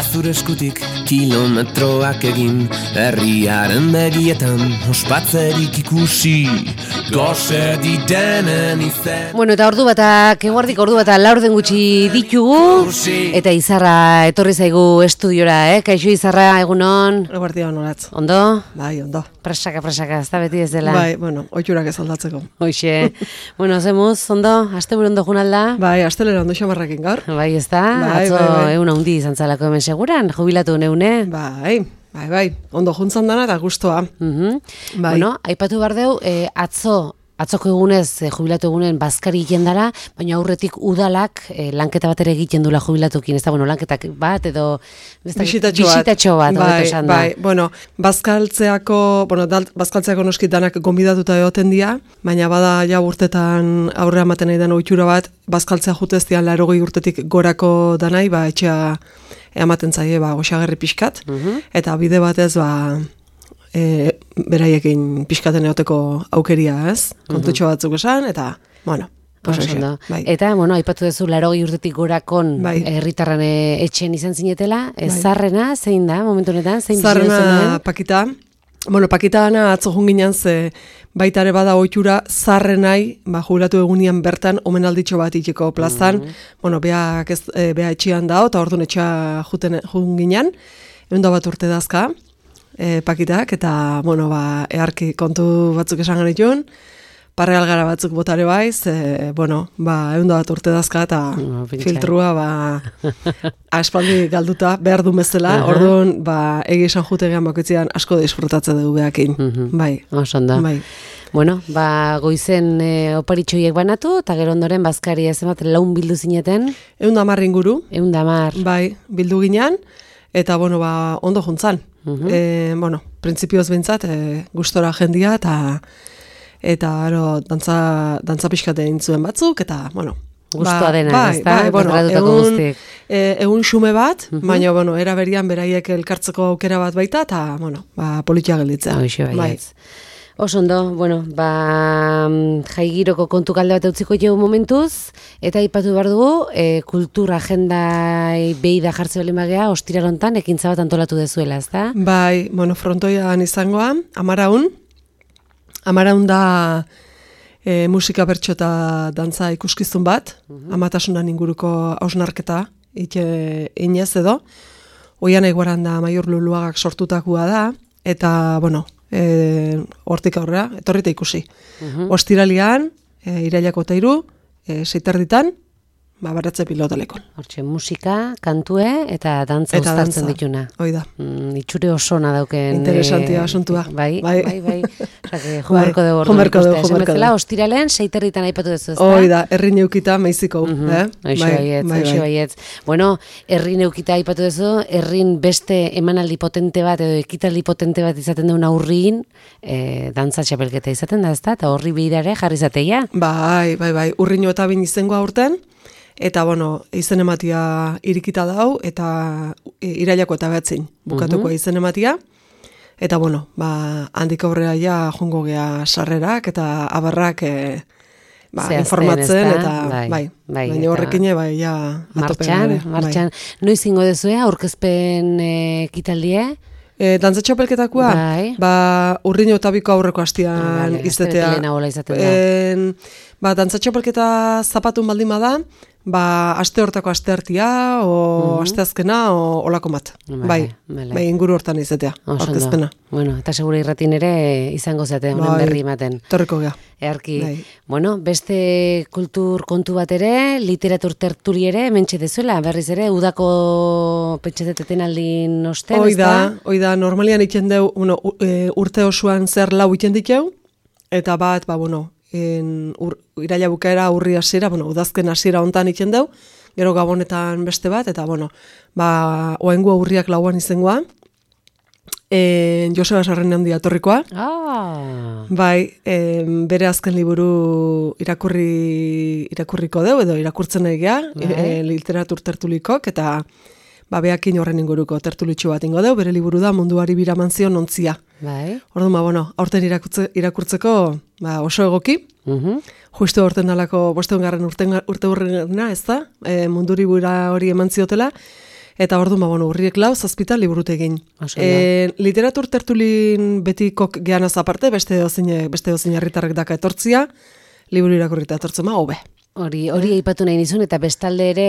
zure eskutik kilometroak egin, herriaren begietan ospatzerik ikusi, gose ditenen izen. Bueno, eta ordu batak, eguardik ordu batak laurden gutxi ditugu, eta Izarra etorri zaigu estudiora, Kaixo Izarra, egunon? Eguardia honoratz. Ondo? Bai, ondo. Presaka, ez da beti ez dela. Bai, bueno, oiturak ez aldatzeko. Hoxe. Bueno, zemuz, ondo? Asteburu ondo junalda? Bai, astelera ondo xamarrakin gaur. Bai, ez da? Bai, atzo bai. Euna hundi izan zalako hemen seguran, jubilatu neune? Bai, ondo juntzan dana eta gustoa. Bai. Bueno, aipatu behar deu, atzoko egunez, jubilatu egunen bazkari egiten dara, baina aurretik udalak lanketa bat ere egiten dula jubilatukin, ez da, bueno, lanketak bat edo bisitatxo bat, bai, bueno, bazkaltzeako noskitanak gonbidatuta egoten dira, baina bada ja urtetan aurrea ematen nahi den ohitura bat, bazkaltzea jutez dian 80 urtetik gorako danai, etxea ematen zaie, goxagerri pixkat, eta bide batez, beraiekin pixkaten eoteko aukeria, ez? Kontutxo batzuk esan, eta, bueno, bai. Eta, bueno, aipatu duzu 80 urtetik gorakon herritarran etxen izan zinetela, zarrena, zein da, momentu honetan, zein bizio zenuen? Zarrena Pakita, Pakita ana atzo junginan ze baitare bada ohitura zarrenai, jubilatu egunian bertan omenalditxo bat itxeko plazan, bea etxean dao, eta orduan etxea junginan, 101 urte dazka, Pakitak, eta, earki kontu batzuk esan genituen, parreal gara batzuk botare baiz, 101 urte dazka, eta filtrua, aspaldi galduta, behar du bezala, orduan, egi esan jutegean bakoitzean asko disfrutatzen dugu behakin, bai. Osonda. Bai. Bueno, goizen oparitxoiek banatu, eta gero ondoren bazkari ez emat laun bildu zineten? 110 inguru. 110. Bai, bildu ginean, eta, ondo juntzan. Printzipioz bintzat, gustora jendia, eta dantza pixkate intzuen batzuk, eta, Gustoa dena, ez da? Egun xume bat, baina, era berian beraiek elkartzeko aukera bat baita, eta, politia gelditzea. Bai. Osondo, jaigiroko kontu kalde bat utziko jau momentuz, eta aipatu behar dugu, kultura agenda behi da jartze bali magea, ostirarontan, ekintza bat antolatu dezuela, ez da? Bai, frontoian izangoa, Amaraun da musika bertso eta dantza ikuskizun bat, amatasunan inguruko hausnarketa, inez edo, oian eguaran da Maior Luluagak sortutakoa da, eta, hortik aurrera, etorrita ikusi. Ostiralian, irailako 3, 6:00, baratze pilotalekon. Hortxe, musika, kantue eta dantza uztartzen dituna. Hoi da. Itxure osona dauken. Interesantia asuntua. Bai. Jumerko dugu. Jumerko. Ostiralean, 6:00 aipatu duzu, ez da? Hoi da, herri neukita meiziko. Hoxe baietz. Bueno, herri neukita aipatu duzu, herrin beste emanaldi potente bat edo ekitaldi potente bat izaten duen aurrin, dantza txapelketa izaten da, ez da? Eta horri behirare jarri zateia? Bai. Urrino eta bin izango aurten. Eta, izen ematia irikita dau, eta irailako eta behatzin bukatuko izen ematia. Eta, handik aurrera ja jongo gea sarrerak, eta abarrak informatzen, eta baina horrekin ja atopen. Martxan. Noiz ingo dezue, aurkezpen ekitaldie? Dantza txapelketakoa, urrino eta biko aurreko hastian izatea. Dantza txapelketa zapatun baldin bada, aste hortako asteartia, asteazkena, olako bat. Bai, inguru hortan izatea, aurkezpena. Eta segura irratin ere izango zate, honen berri ematen. Torreko gea. Earki. Beste kultur kontu bat ere, literatur tertuli ere, mentxe dezuela, berriz ere, udako petxeteteten aldin osten, ez da? Hoi da, normalian iten deu, urte osoan zer lau iten diteu, eta bat, iraila bukaera urri hasiera, udazken hasiera hontan iten deu, gero gabonetan beste bat, eta oaingua urriak lauan izengoa, Joseba Sarren handia etorrikoa. Bai, bere azken liburu irakurriko deu, edo irakurtzen egea, literatur tertulikok, eta beakin horren inguruko tertulitxo bat ingo deu, bere liburu da Munduari biraman zion ontzia. Orduan, aurten irakurtzeko oso egoki, justu aurten dalako 5. urte hurrena, ez da, Munduri bura hori eman ziotela, eta orduan, urriek 4, 7 liburutegin. Literatur tertulin betikok geanaz aparte, beste dozin herritarrek daka etortzia, liburu irakurrita etortzen hobe. Hori aipatu nahi nizun, eta bestalde ere,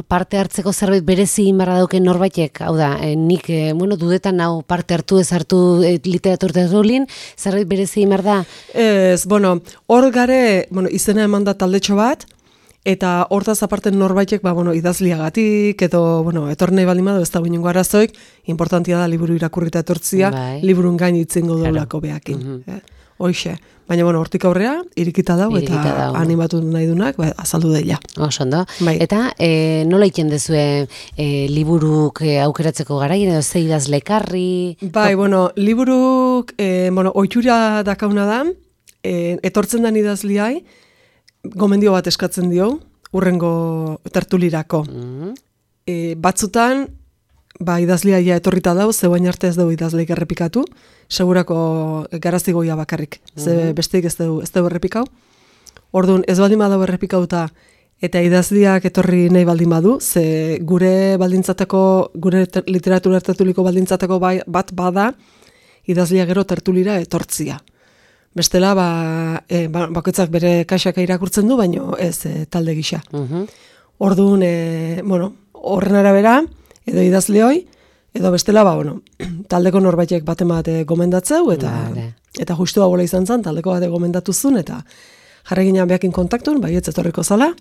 parte hartzeko zerbait berezi inbarra dauken norbaitek, hau da, nik, dudetan hau parte hartu ez hartu literatur tertulin, zerbait berezi inbar da? Ez, hor gare, izena eman da taldetxo bat, eta hortaz aparte norbaitek, idazliagatik, edo, etornei baldin badu, ez da binungo arazoik, importantia da liburu irakurrita etortzia, liburun gain itzengo daulako behakin. Hoixe. Baina, hortik aurrea, irikita dau, eta animatu nahi dunak, azaldu daila. Osondo. Eta, nola iten dezue liburuk aukeratzeko garaien, edo ze idazlekarri? Liburuk, oitura dakauna da, etortzen den idazliai, gomendio bat eskatzen dio, urrengo tertulirako. Batzutan, idazliaia etorrita dau, zeuain arte ez dugu idazleik errepikatu, segurako garazigoia bakarrik, ze besteik ez dugu errepikau. Orduan, ez baldin badau errepikauta, eta idazliak etorri nahi baldin badu, ze gure literatura tertuliko baldintzateko bat bada, idazliak gero tertulira etortzia. Bestela, bakoitzak bere kaxaka irakurtzen du, baino ez talde gisa. Orduan, horren arabera, edo idazleoi, edo bestela, taldeko norbaitek baten bat gomendatzeu, eta justua bola izan zen, taldeko bat gomendatu zuen, eta jarri ginean behakin kontaktun, ez etorriko zala,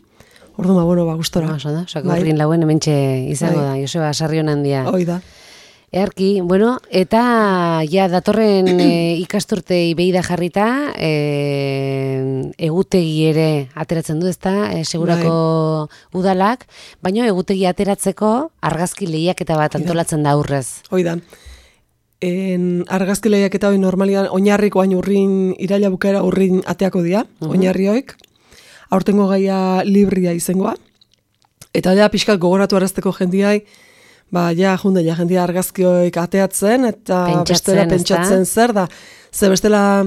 orduan, gustora. Horrin lauen hementxe izango da, Joseba Sarrion handia. Hoi da. Earki, eta datorren ikasturtei behida jarrita, egutegi ere ateratzen du, ezta, segurako udalak, baina egutegi ateratzeko argazki lehiaketa bat antolatzen da aurrez. Hoi da. Argazki lehiaketa hori normalian oinarriko hain urrin, iraila bukaera urrin ateako dira, oinarrioik, aurtengo gaia libria izengoa, eta da pixkat gogoratu arazteko jendiai, jendia argazkioik ateatzen, eta bestela pentsatzen zer da. Ze bestela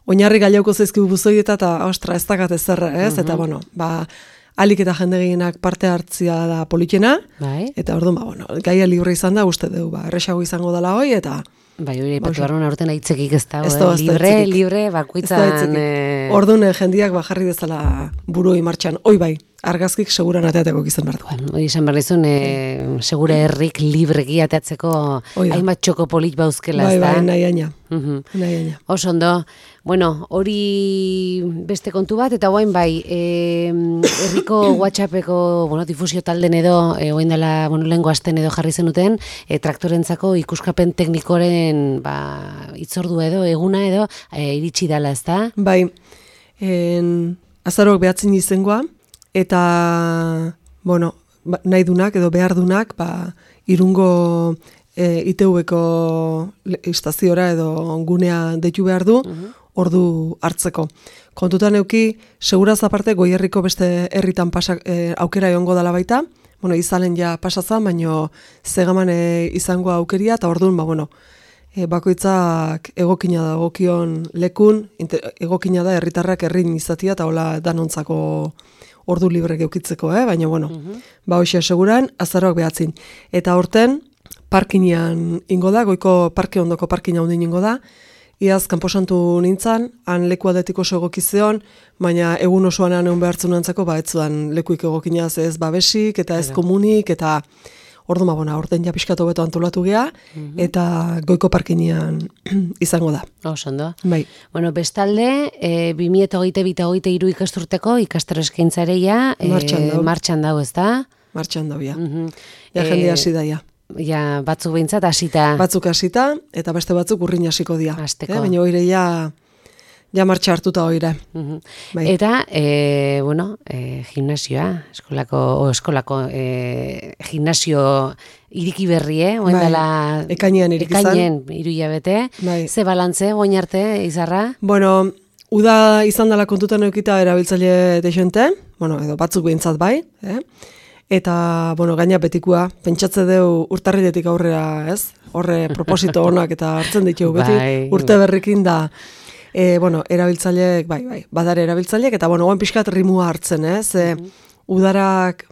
oinarri gaiauko zaizkibu buzoieta, eta ostra, ez dakat ezerra, ez? Eta, alik eta jende gehienak parte hartzia da politena, eta orduan, gaia libre izan da, uste dugu, erresago izango dela hoi, eta... Hori ipatu barruan aurten aitzekik ez da, libre, bakuitzan... Orduan jendiak jarri dezala burui martxan, oi argazkik seguran ateateko gizan behar duen. Hori izan behar dizun, segure herrik libreki ateatzeko hainbat txoko polit bauzkela, ez da? Nahi aina. Osondo, hori beste kontu bat, eta guain herriko WhatsAppeko difusio talden edo, guain dela lehengo asten edo jarri zenuten, traktorentzako ikuskapen teknikoren itzordu edo, eguna edo, iritsi dela, ez da? Azarok behatzen izengoa, eta, nahi dunak edo behar dunak, irungo ITV-ko estaziora edo gunea deitu behar du, ordu hartzeko. Kontutan euki, seguraz aparte, Goierriko beste herritan aukera egongo dela baita, izalen ja pasazan, baino zegaman izango aukeria, eta orduan, bakoitzak egokina da, egokion lekun, egokina da herritarrak herrin izatia, eta hola danontzako ordu libre geukitzeko, baina, hoxe seguran, azaroak behatzin. Eta horten, parkinean ingo da, goiko parke ondoko parkina hundin ingo da, iaz kanposantu nintzen, han leku adetiko oso egokizeon, baina egun osoan egon behartzen nantzako, etzuan lekuik egokinaz ez babesik, eta ez komunik, eta orduan, orten ja pixkatu beto antolatu gea, eta goiko parkinean izango da. Osondo. Bai. Bestalde, 2022-2023 ikasturteko ikastaro eskaintzareia martxan dago, ez da? Martxan dago, ja. Jende hasi daia. Ja, batzuk behintzat hasita. Batzuk hasita, eta beste batzuk urrin hasiko dira. Hasteko. Baina oire ja martxa hartuta oire. Eta, gimnasioa, eskolako gimnasio iriki berri, ekainean irikizan. Ekainean irudilabete. Ze balantze, goin arte, izarra? Uda izan dela kontutan eukita erabiltzaile dexente, edo batzuk behintzat bai, eta, gaina betikua, pentsatze deu urtarriletik aurrera, ez? Horre proposito honak eta hartzen ditugu beti, urte berrikin da, erabiltzaileek, badare erabiltzaileek, eta, oan pixkat rimua hartzen, ez? Udarak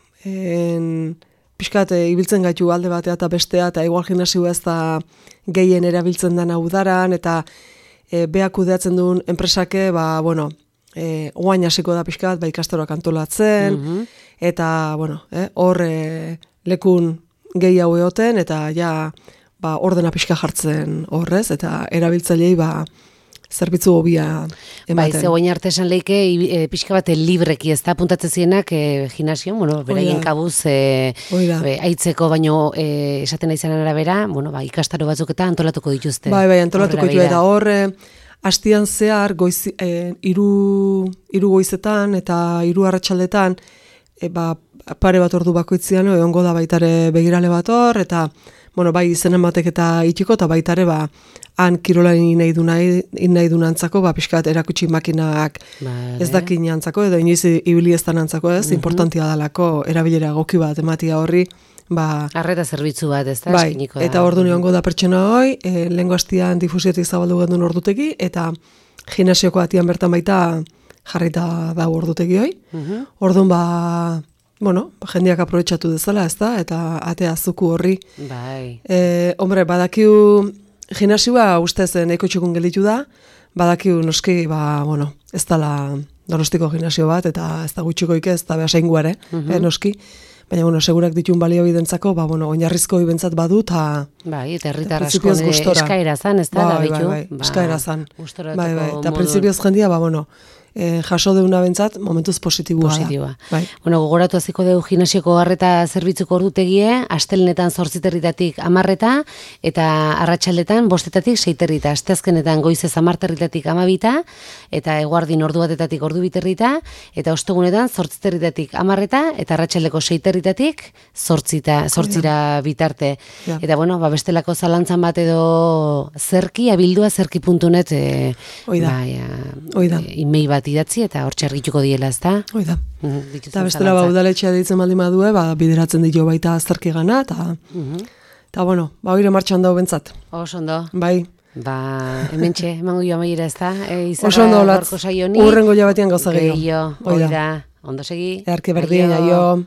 pixkat ibiltzen gaitu alde batea eta bestea, eta igual gimnasioa ez da gehien erabiltzen dana udaran, eta beak kudeatzen duen enpresake, oain hasiko da pixkat, ikastaroak antolatzen, eta, hor lekun gehiago egoten, eta ordena pixka jartzen horrez, eta erabiltzailei zerbitzu hobia ematen. Ze oain arte esan leike, pixka bat libreki, ez da apuntatzen zienak gimnasio, beraien kabuz aitzeko, baino esaten naizan arabera, ikastaro batzuk eta antolatuko dituzte. Antolatuko dituzte, eta hor, hastian zehar, hiru goizetan eta 3 arratsaldetan, pare bat ordu bakoitzean, egongo da baitare begirale bat hor, eta bai izen ematek eta itxiko, eta baitare han kirolari nahi du antzako, pixkat erakutsi makinak ez dakin antzako, edo inoiz ibili ez antzako ez, importantia dalako erabilera egoki bat ematia horri. Arreta zerbitzu bat, ez da? Bai, eta ordu niongo da pertsona hoi, lehengo hastian difusiotik zabaldu gendun ordutegi, eta gimnasioko atian bertan baita jarrita da ordutegi hoi. Orduan jendeak aprobetxatu dezala, ez da, eta atea zuku horri. Hombre, badakiu gimnasioa ustez nahiko txukun gelditu da, badakiu noski, ez dala Donostiko gimnasio bat, eta ez da gutxikoik ez, eta behasaingu ere, noski. Baina, segurak ditun balio bidentzako, oinarrizko ibentzat badu, eta herritar asko eskaera zan, ez da, eskaera zan. Eta prinsipioz jendia, jaso deuna bentzat, momentuz positibua da. Gogoratu aziko dugu gimnasioko arreta zerbitzuko ordutegie, astelenetan 8 10 eta arratsaldetan 5 6 asteazkenetan goizez 10 12 eta eguardin ordu batetatik ordu 2 eta ostegunetan 8 10 eta arratsaldeko 6 8 bitarte. Eta bestelako zalantzan bat edo abildua zerki.net email bat idatzi eta hor txargituko diela, ez da? Oida. Eta bestela udaletxea ditzen baldin badue, bideratzen dio baita azterki gana, eta oire martxan dago bentzat. Oso ondo. Bai. Hementxe, emango joa maira, ez da? Oso ondo, urrengo jabatean gauza gehiago. Oida. Ondo segi. Earke berdin, aio.